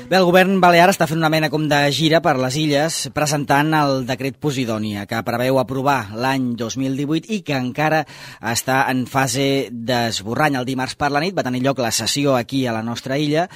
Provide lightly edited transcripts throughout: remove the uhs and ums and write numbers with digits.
Bé, el govern balear està fent una mena com de gira per les illes presentant el decret Posidònia, que preveu aprovar l'any 2018 i que encara està en fase d'esborrany. El dimarts per la nit va tenir lloc la sessió aquí a la nostra illa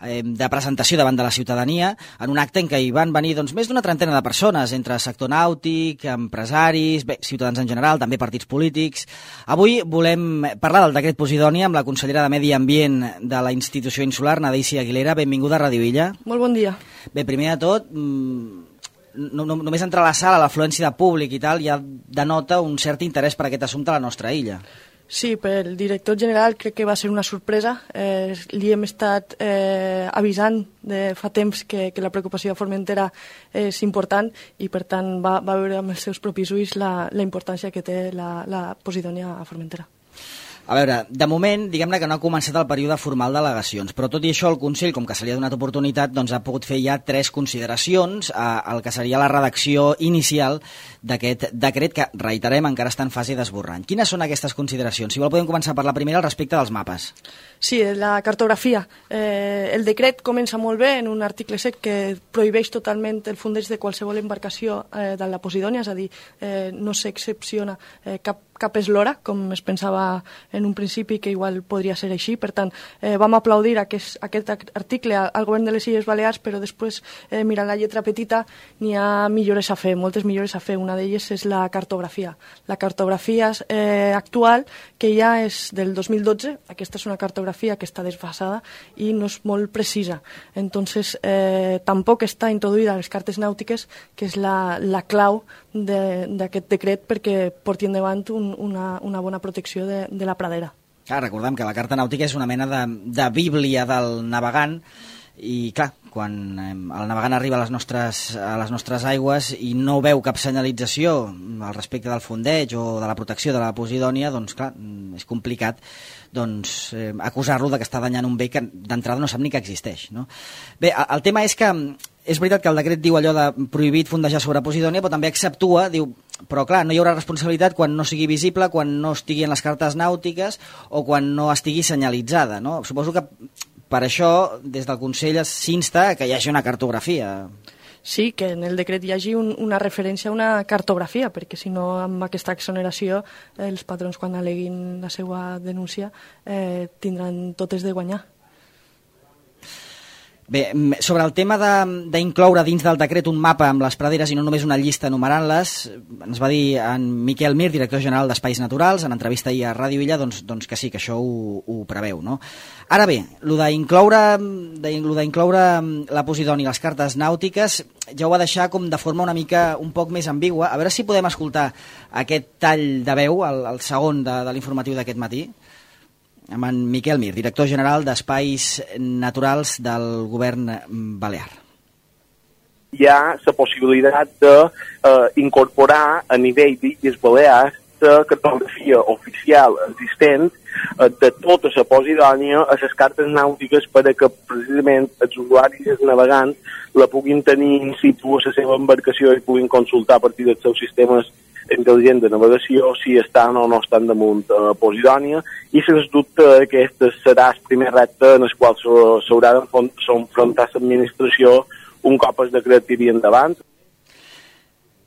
de presentació davant de la ciutadania, en un acte en què hi van venir més d'una trentena de persones, entre sector nàutic, empresaris, ciutadans en general, també partits polítics. Avui volem parlar del decret Posidònia amb la consellera de Medi Ambient de la institució insular, Nadícia Aguilera. Benvinguda a Ràdio Illa. Molt bon dia. Bé, primer de tot, només entrar a la sala, l'afluència de públic i tal, ja denota un cert interès per aquest assumpte a la nostra illa. Sí, pel director general crec que va ser una sorpresa. Li hem estat avisant de fa temps que la preocupació de Formentera és important i, per tant, va veure amb els seus propis ulls la importància que té la Posidònia a Formentera. A veure, de moment, diguem-ne que no ha començat el període formal d'al·legacions, però tot i això el Consell, com que se li ha donat oportunitat, ha pogut fer ja 3 consideracions al que seria la redacció inicial d'aquest decret que, reiterem, encara està en fase d'esborrany. Quines són aquestes consideracions? Si vol podem començar per la primera, al respecte dels mapes. Sí, la cartografia. El decret comença molt bé en un article 7 que prohibeix totalment el fundeig de qualsevol embarcació de la Posidònia, és a dir, no s'excepciona cap eslora, com es pensava en un principi que igual podria ser així. Per tant, vam aplaudir aquest article al govern de les Illes Balears, però després, mirant la lletra petita, n'hi ha millores a fer, moltes millores a fer. Una d'elles és la cartografia. La cartografia actual, que ja és del 2012, aquesta és una cartografia que està desfasada i no és molt precisa. Entonces, tampoc està introduïda a les cartes nàutiques, que és la clau d'aquest decret perquè porti endavant una bona protecció de la pradera. Recordem que la carta nàutica és una mena de bíblia del navegant i, clar, quan el navegant arriba a les nostres aigües i no veu cap senyalització al respecte del fondeig o de la protecció de la Posidònia, doncs, clar, és complicat acusar-lo que està danyant un bé que d'entrada no sap ni que existeix, no? Bé, el tema és que és veritat que el decret diu allò de prohibit fondejar sobre Posidònia, però també exceptua, diu, però clar, no hi haurà responsabilitat quan no sigui visible, quan no estigui en les cartes nàutiques o quan no estigui senyalitzada, no? Suposo que per això, des del Consell s'insta que hi hagi una cartografia. Sí, que en el decret hi hagi una referència a una cartografia, perquè si no, amb aquesta exoneració, els patrons, quan aleguin la seva denúncia, tindran totes de guanyar. Bé, sobre el tema d'incloure dins del decret un mapa amb les praderes i no només una llista enumerant-les, ens va dir en Miquel Mir, director general d'Espais Naturals, en entrevista ahir a Ràdio Illa, doncs que sí, que això ho preveu, no? Ara bé, lo d'incloure la Posidònia i les cartes nàutiques ja ho va deixar com de forma un poc més ambigua. A veure si podem escoltar aquest tall de veu, el segon de l'informatiu d'aquest matí, amb en Miquel Mir, director general d'Espais Naturals del govern balear. Hi ha la possibilitat d'incorporar a nivell d'Illes Balears la cartografia oficial existent de tota la Posidònia a les cartes nàutiques perquè precisament els usuaris i els navegants la puguin tenir in situ a la seva embarcació i puguin consultar a partir dels seus sistemes intel·ligent de navegació si estan o no estan damunt Posidònia i sens dubte aquest serà el primer repte en el qual s'haurà d'enfrontar l'administració un cop el decret tiri endavant.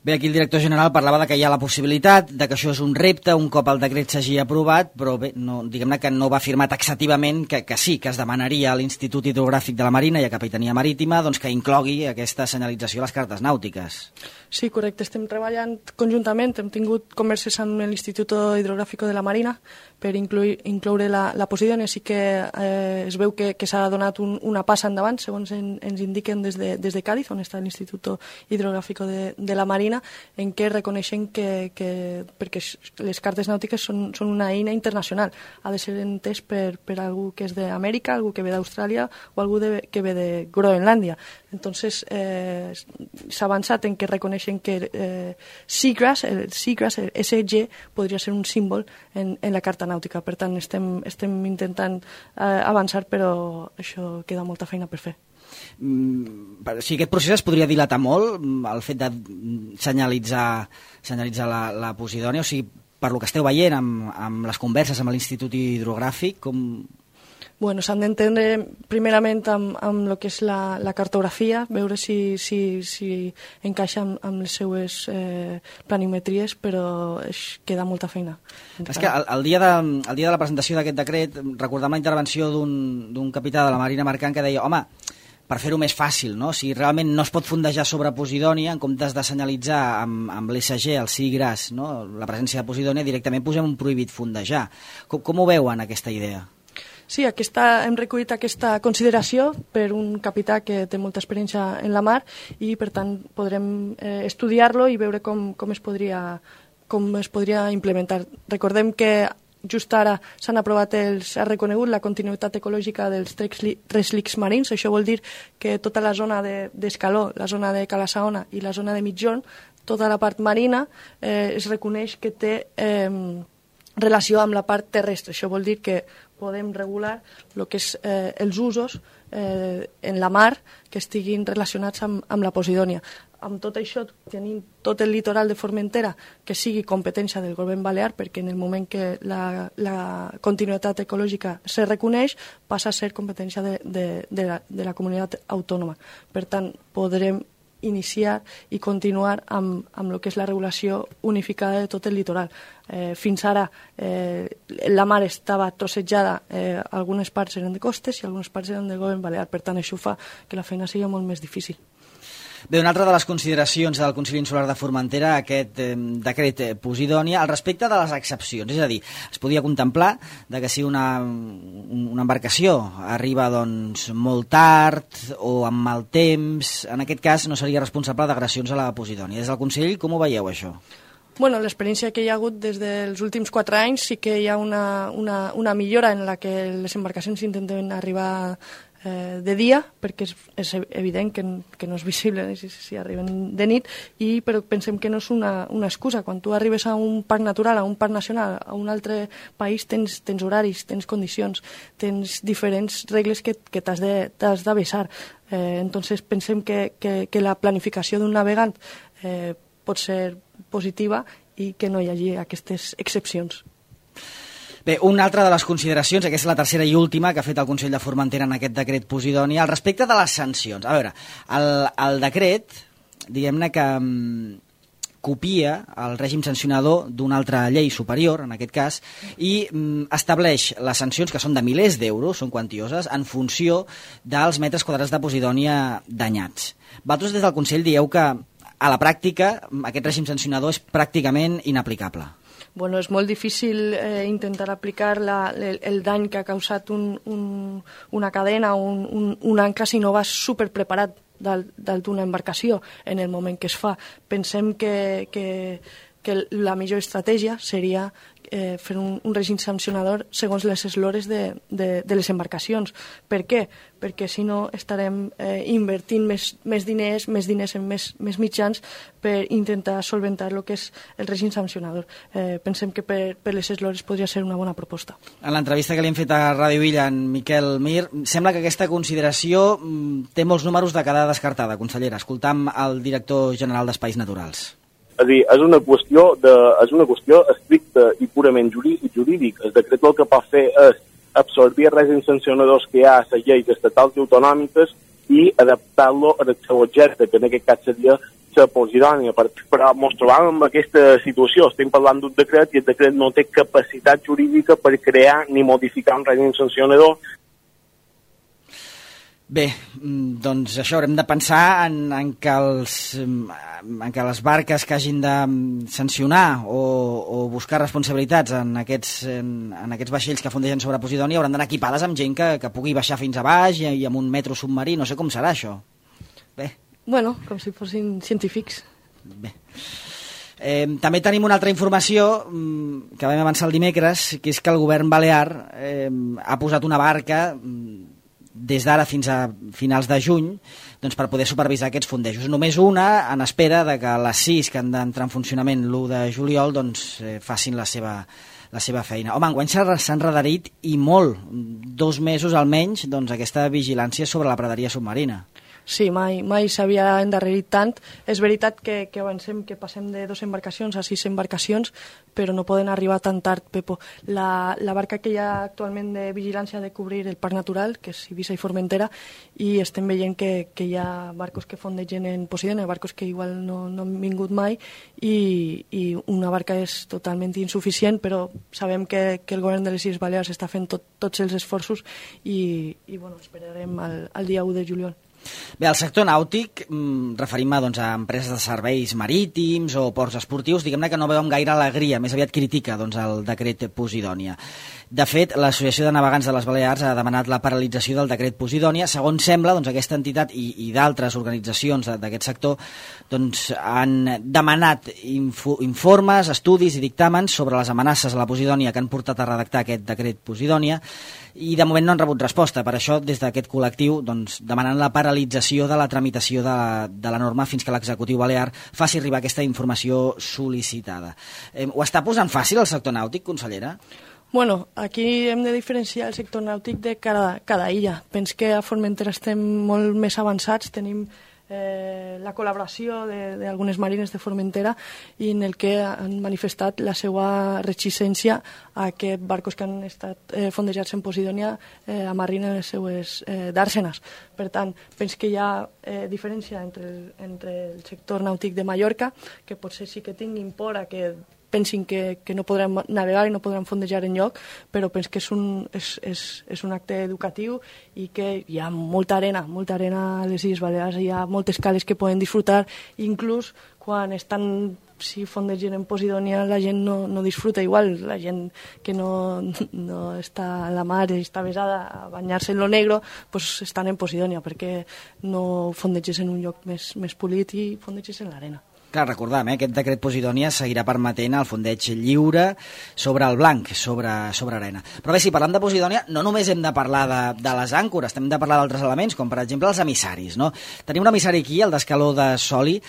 Bé, aquí el director general parlava de que hi ha la possibilitat, de que això és un repte un cop el decret s'hagi aprovat, però bé, diguem-ne que no va afirmar taxativament que sí, que es demanaria a l'Institut Hidrogràfic de la Marina i a Capitania Marítima que inclogui aquesta senyalització a les cartes nàutiques. Sí, correcte, estem treballant conjuntament, hem tingut converses amb l'Institut Hidrogràfic de la Marina per incloure la Posidònia. Sí que es veu que s'ha donat una passa endavant, segons ens indiquen des de Càdiz, on està l'Institut Hidrogràfic de la Marina, en què reconeixen perquè les cartes nàutiques són una eina internacional, ha de ser entès per algú que és d'Amèrica, algú que ve d'Austràlia o algú que ve de Groenlàndia. Entonces s'ha avançat en que reconeixen que Seagrass, el SG, podria ser un símbol en la carta nàutica. Per tant, estem intentant avançar, però això queda molta feina per fer. Si aquest procés es podria dilatar molt, el fet de senyalitzar la Posidònia, o sigui, per lo que esteu veient amb les converses amb l'Institut Hidrogràfic, com... Bueno, s'han d'entendre primerament amb el que és la cartografia, veure si encaixa amb les seues planimetries, però queda molta feina. És que el dia de la presentació d'aquest decret, recordam la intervenció d'un capità de la Marina Mercant que deia, home, per fer-ho més fàcil, no? Si realment no es pot fondejar sobre Posidònia, en comptes de senyalitzar amb l'ESG, el sí gras, no? La presència de Posidònia, directament posem un prohibit fondejar. Com ho veuen, aquesta idea? Sí, hem recollit aquesta consideració per un capità que té molta experiència en la mar i, per tant, podrem estudiar-lo i veure com es podria implementar. Recordem que just ara s'ha reconegut la continuïtat ecològica dels 3 lics marins. Això vol dir que tota la zona d'Escaló, la zona de Cala Saona i la zona de Mitjón, tota la part marina, es reconeix que té relació amb la part terrestre. Això vol dir que podem regular el que és els usos en la mar que estiguin relacionats amb la Posidònia. Amb tot això tenim tot el litoral de Formentera que sigui competència del govern balear, perquè en el moment que la continuïtat ecològica se reconeix passa a ser competència de la comunitat autònoma. Per tant, podrem iniciar i continuar amb el que és la regulació unificada de tot el litoral. Fins ara la mar estava trossejada, algunes parts eren de costes i algunes parts eren del govern balear, per tant això fa que la feina sigui molt més difícil. Bé, una altra de les consideracions del Consell Insular de Formentera, aquest decret Posidònia, al respecte de les excepcions. És a dir, es podia contemplar que si una embarcació arriba molt tard o amb mal temps, en aquest cas no seria responsable d'agressions a la Posidònia. Des del Consell, com ho veieu, això? Bueno, l'experiència que hi ha hagut des dels últims 4 anys sí que hi ha una millora en la que les embarcacions intenten arribar de dia, perquè és evident que no és visible si arriben de nit, però pensem que no és una excusa. Quan tu arribes a un parc natural, a un parc nacional, a un altre país, tens horaris, tens condicions, tens diferents regles que t'has d'avesar. Entonces pensem que la planificació d'un navegant pot ser positiva i que no hi hagi aquestes excepcions. Bé, una altra de les consideracions, aquesta és la tercera i última que ha fet el Consell de Formentera en aquest decret Posidònia, al respecte de les sancions. A veure, el decret, diguem-ne que copia el règim sancionador d'una altra llei superior, en aquest cas, i estableix les sancions, que són de milers d'euros, són quantioses, en funció dels metres quadrats de Posidònia danyats. Vosaltres des del Consell dieu que a la pràctica aquest règim sancionador és pràcticament inaplicable. Bueno, és molt difícil intentar aplicar el dany que ha causat una cadena o un ancla si no vas superpreparat dalt d'una embarcació en el moment que es fa. Pensem que la millor estratègia seria fer un règim sancionador segons les eslores de les embarcacions. Per què? Perquè si no estarem invertint més diners en més mitjans per intentar solventar el que és el règim sancionador. Pensem que per les eslores podria ser una bona proposta. En l'entrevista que li hem fet a Ràdio Illa, en Miquel Mir, sembla que aquesta consideració té molts números de quedar descartada, consellera. Escoltam el director general d'Espais Naturals. És a dir, és una qüestió estricta i purament jurídica. El decret el que pot fer és absorbir règims sancionadors que hi ha a les lleis estatals i autonòmiques i adaptar-lo al seu objecte, que en aquest cas seria la Posidònia. Però ens trobàvem en aquesta situació. Estem parlant d'un decret i el decret no té capacitat jurídica per crear ni modificar un règim sancionador. Bé, doncs això, haurem de pensar en que les barques que hagin de sancionar o buscar responsabilitats en aquests vaixells que fondegen sobre Posidònia hauran d'anar equipades amb gent que pugui baixar fins a baix i amb un metro submarí. No sé com serà això. Bé. Bueno, com si fossin científics. Bé. També tenim una altra informació que vam avançar el dimecres, que és que el govern balear ha posat una barca des d'ara fins a finals de juny per poder supervisar aquests fondejos. Només una en espera de que les 6 que han d'entrar en funcionament l'1 de juliol facin la seva feina. Home, enguany s'ha enredarit i molt, 2 mesos almenys, aquesta vigilància sobre la praderia submarina. Sí, mai s'havia endarrerit tant. És veritat que avancem, que passem de 2 embarcacions a 6 embarcacions, però no poden arribar tan tard, Pepo. La barca que hi ha actualment de vigilància ha de cobrir el parc natural, que és Eivissa i Formentera, i estem veient que hi ha barcos que fondegen en Posidònia, barcos que igual no han vingut mai, i una barca és totalment insuficient, però sabem que el govern de les Illes Balears està fent tots els esforços i bueno, esperarem el dia 1 de juliol. Bé, el sector nàutic, referim-me doncs, a empreses de serveis marítims o ports esportius, diguem-ne que no veuen gaire alegria, més aviat critica doncs, el decret Posidònia. De fet, l'Associació de Navegants de les Balears ha demanat la paralització del decret Posidònia. Segons sembla, doncs, aquesta entitat i d'altres organitzacions d'aquest sector doncs, han demanat informes, estudis i dictàmens sobre les amenaces a la Posidònia que han portat a redactar aquest decret Posidònia, i de moment no han rebut resposta. Per això, des d'aquest col·lectiu, doncs, demanen la paralització de la tramitació de la norma fins que l'executiu balear faci arribar aquesta informació sol·licitada. Ho està posant fàcil el sector nàutic, consellera? Bueno, aquí hem de diferenciar el sector nàutic de cada illa. Penso que a Formentera estem molt més avançats, tenim la col·laboració d'algunes marines de Formentera i en el que han manifestat la seva reticència a que barcos que han estat fondejats en Posidònia amarrin les seues dàrsenes. Per tant, penso que hi ha diferència entre el sector nàutic de Mallorca, que potser sí que tinguin por a que pensin que no podran navegar i no podran fondejar enlloc, però penso que és un acte educatiu i que hi ha molta arena a les Illes Balears, hi ha moltes cales que poden disfrutar, inclús quan estan, si fondegen en Posidònia, la gent no disfruta igual, la gent que no està a la mar i està besada a banyar-se en lo negro, pues estan en Posidònia, perquè no fondeges en un lloc més polit i fondeges en l'arena. Clar, recordem, aquest decret Posidònia seguirà permetent el fondeig lliure sobre el blanc, sobre arena. Però bé, si parlem de Posidònia, no només hem de parlar de les àncores, hem de parlar d'altres elements, com per exemple els emissaris, no? Tenim un emissari aquí, el d'Escaló de Soli,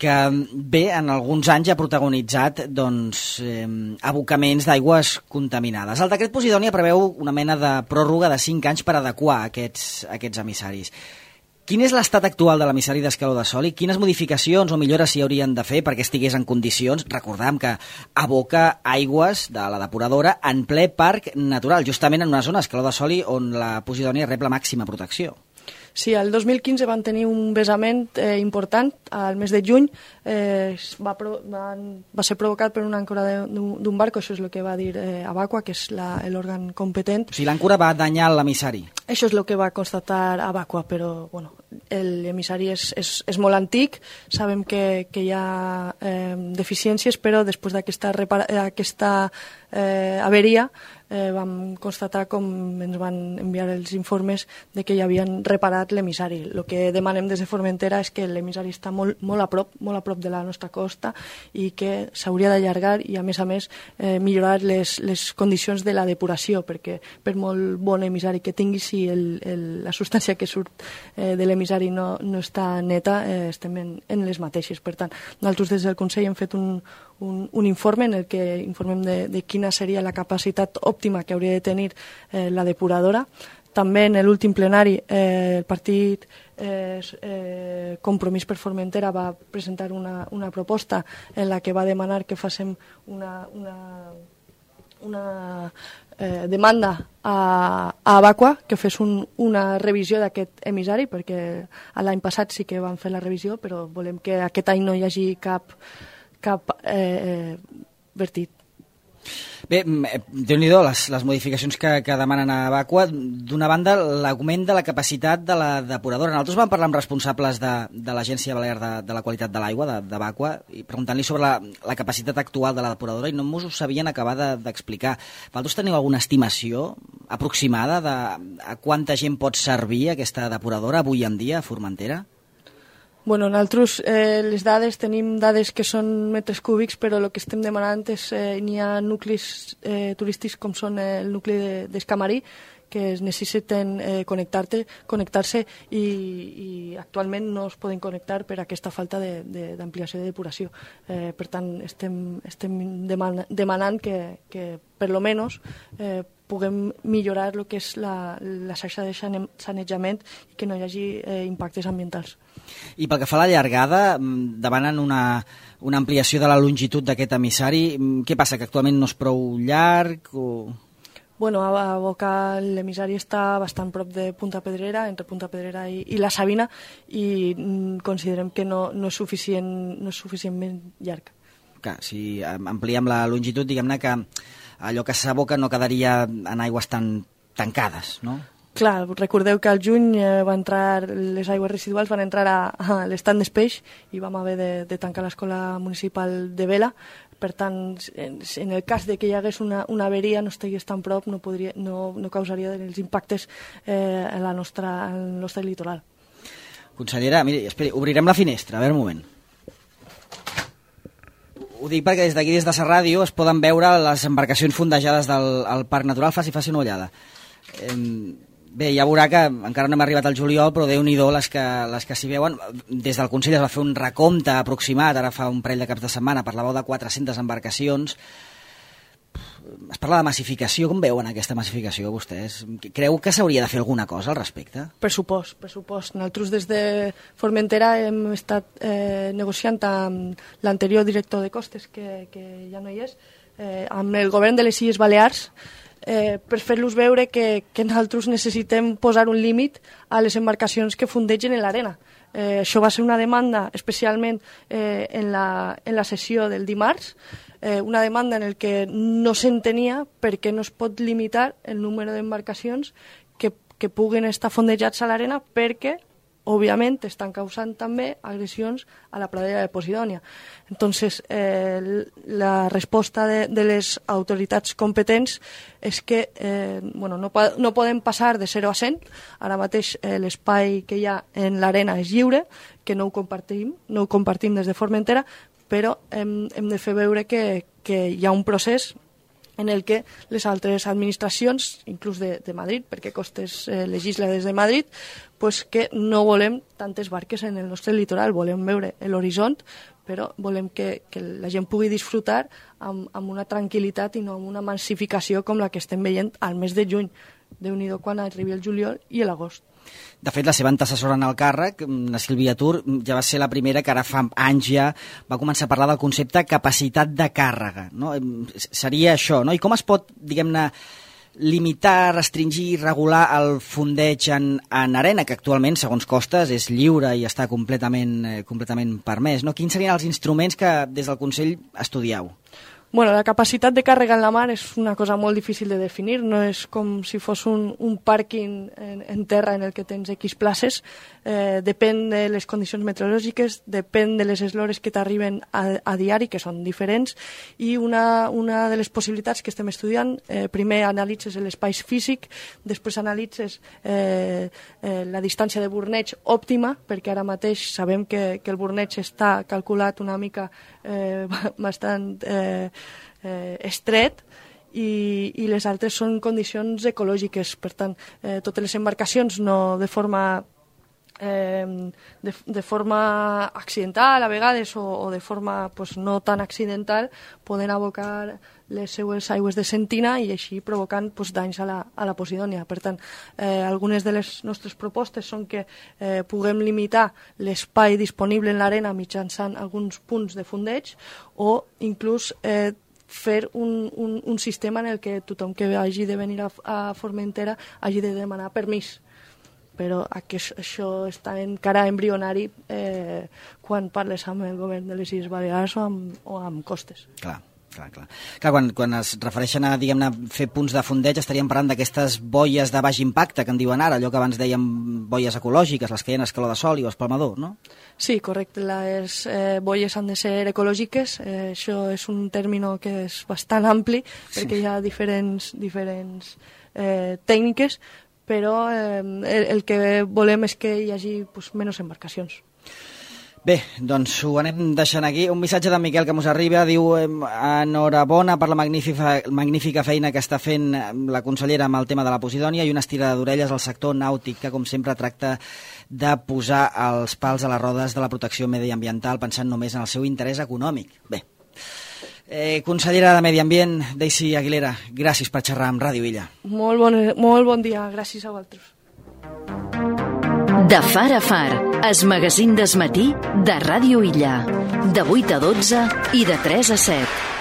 que bé, en alguns anys ha protagonitzat abocaments d'aigües contaminades. El decret Posidònia preveu una mena de pròrroga de 5 anys per adequar aquests emissaris. Quin és l'estat actual de l'emissari d'Escaló de Soli? Quines modificacions o millores s'hi haurien de fer perquè estigués en condicions? Recordem que aboca aigües de la depuradora en ple parc natural, justament en una zona, Escaló de Soli, on la Posidònia rep la màxima protecció. Sí, el 2015 van tenir un vessament important, al mes de juny, va ser provocat per una àncora d'un barco, això és el que va dir Abaqua, que és l'òrgan competent. O sigui, l'àncora va danyar l'emissari. Això és el que va constatar Abaqua, però bueno, l'emissari és molt antic, sabem que hi ha deficiències, però després d'aquesta averia vam constatar com ens van enviar els informes de que ja havien reparat l'emissari. El que demanem des de Formentera és que l'emissari està molt a prop de la nostra costa i que s'hauria d'allargar i a més millorar les condicions de la depuració, perquè per molt bon emissari que tingui, si la substància que surt de l'emissari no està neta, estem en les mateixes. Per tant, nosaltres des del Consell hem fet un informe en el que informem de quina seria la capacitat òptima que hauria de tenir la depuradora. També en l'últim plenari el partit Compromís per Formentera va presentar una proposta en la que va demanar que féssim una demanda a Abaqua que fes una revisió d'aquest emissari, perquè l'any passat sí que van fer la revisió, però volem que aquest any no hi hagi cap vertit. Bé, Déu-n'hi-do les modificacions que demanen a Abaqua. D'una banda, l'augment de la capacitat de la depuradora. Nosaltres vam parlar amb responsables de l'Agència Balear de la Qualitat de l'Aigua, d'Abaqua, i preguntant-li sobre la capacitat actual de la depuradora i no ens ho sabien acabar d'explicar. Vosaltres teniu alguna estimació aproximada de a quanta gent pot servir aquesta depuradora avui en dia a Formentera? Bueno, nosaltres tenim dades que són metres cúbics, però el que estem demanant és n'hi ha nuclis turístics com són el nucli d'Escamarí, que es necessiten connectar-se i actualment no es poden connectar per aquesta falta d'ampliació de depuració. Per tant, estem demanant que per lo menos puguem millorar el que és la xarxa de sanejament i que no hi hagi impactes ambientals. I pel que fa a la llargada, demanen una ampliació de la longitud d'aquest emissari. Què passa, que actualment no és prou llarg? Bueno, a Boca l'emissari està bastant prop de Punta Pedrera, entre Punta Pedrera i la Sabina, i considerem que no és suficientment llarg. Clar, si ampliem la longitud, diguem-ne que allò que s'aboca no quedaria en aigües tan tancades, no? Clar, recordeu que al juny les aigües residuals van entrar a l'estand d'Espeix i vam haver de tancar l'escola municipal de Vela. Per tant, en el cas de que hi hagués una averia, no estigués tan prop, no causaria els impactes al nostre litoral. Consellera, miri, esperi, obrirem la finestra, a veure un moment. Ho dic perquè des d'aquí, des de la ràdio, es poden veure les embarcacions fondejades del Parc Natural. Faci una ullada. Bé, ja veurà que encara no hem arribat al juliol, però Déu-n'hi-do les que s'hi veuen. Des del Consell es va fer un recompte aproximat, ara fa un parell de caps de setmana, parlàveu de 400 embarcacions. Es parla de massificació. Com veuen aquesta massificació, vostès? Creu que s'hauria de fer alguna cosa al respecte? Pressupost. Nosaltres des de Formentera hem estat negociant amb l'anterior director de costes, que ja no hi és, amb el govern de les Illes Balears, per fer-los veure que nosaltres necessitem posar un límit a les embarcacions que fondegen en l'arena. Això va ser una demanda especialment en la sessió del dimarts, una demanda en què no s'entenia per què no es pot limitar el número d'embarcacions que puguen estar fondejats a l'arena, perquè òbviament estan causant també agressions a la pradera de Posidònia. Entonces, la resposta de les autoritats competents és que no podem passar de 0 a 100. Ara mateix l'espai que hi ha en l'arena és lliure, que no ho compartim des de Formentera, però hem de fer veure que hi ha un procés en el que les altres administracions, inclús de Madrid, perquè Costes legisla des de Madrid, pues que no volem tantes barques en el nostre litoral, volem veure l'horitzó, però volem que la gent pugui disfrutar amb una tranquil·litat i no amb una massificació com la que estem veient al mes de juny. Déu-n'hi-do quan arribi el juliol i l'agost. De fet, la seva antecessora en el càrrec, la Sílvia Tur, ja va ser la primera que ara fa anys ja va començar a parlar del concepte capacitat de càrrega, no? Seria això, no? I com es pot, diguem-ne, limitar, restringir, regular el fondeig en arena, que actualment, segons Costes, és lliure i està completament permès, no? Quins serien els instruments que des del Consell estudieu? Bueno, la capacitat de càrrega en la mar és una cosa molt difícil de definir, no és com si fos un pàrquing en terra en el que tens X places, depèn de les condicions meteorològiques, depèn de les eslores que t'arriben a diari, que són diferents, i una de les possibilitats que estem estudiant, primer analitzes l'espai físic, després analitzes la distància de burneig òptima, perquè ara mateix sabem que el burneig està calculat una mica bastant estret, i les altres són condicions ecològiques. Per tant, totes les embarcacions no de forma accidental a vegades o de forma no tan accidental poden abocar les seues aigües de sentina i així provocant danys a la Posidònia. Per tant, algunes de les nostres propostes són que puguem limitar l'espai disponible en l'arena mitjançant alguns punts de fondeig o inclús fer un sistema en el que tothom que hagi de venir a Formentera hagi de demanar permís. Però això està encara embrionari quan parles amb el govern de les Illes Balears o amb Costes. Clar, quan es refereixen a, diguem-ne, fer punts de fondeig, estaríem parlant d'aquestes boies de baix impacte, que en diuen ara, allò que abans dèiem boies ecològiques, les que hi ha en escaló de sol i o espalmador, no? Sí, correcte. Les boies han de ser ecològiques. Això és un término que és bastant ampli, perquè hi ha diferents tècniques, però el que volem és que hi hagi menys embarcacions. Bé, doncs ho anem deixant aquí. Un missatge d'en Miquel que mos arriba, diu enhorabona per la magnífica feina que està fent la consellera amb el tema de la Posidònia i una estirada d'orelles al sector nàutic, que com sempre tracta de posar els pals a les rodes de la protecció mediambiental pensant només en el seu interès econòmic. Bé, Consellera de Medi Ambient, Daisy Aguilera, gràcies per xerrar amb Ràdio Illa. Molt bon dia, gràcies a vosaltres. De Far a Far, el magazín d'esmatí de Ràdio Illa, de 8 a 12 i de 3 a 7.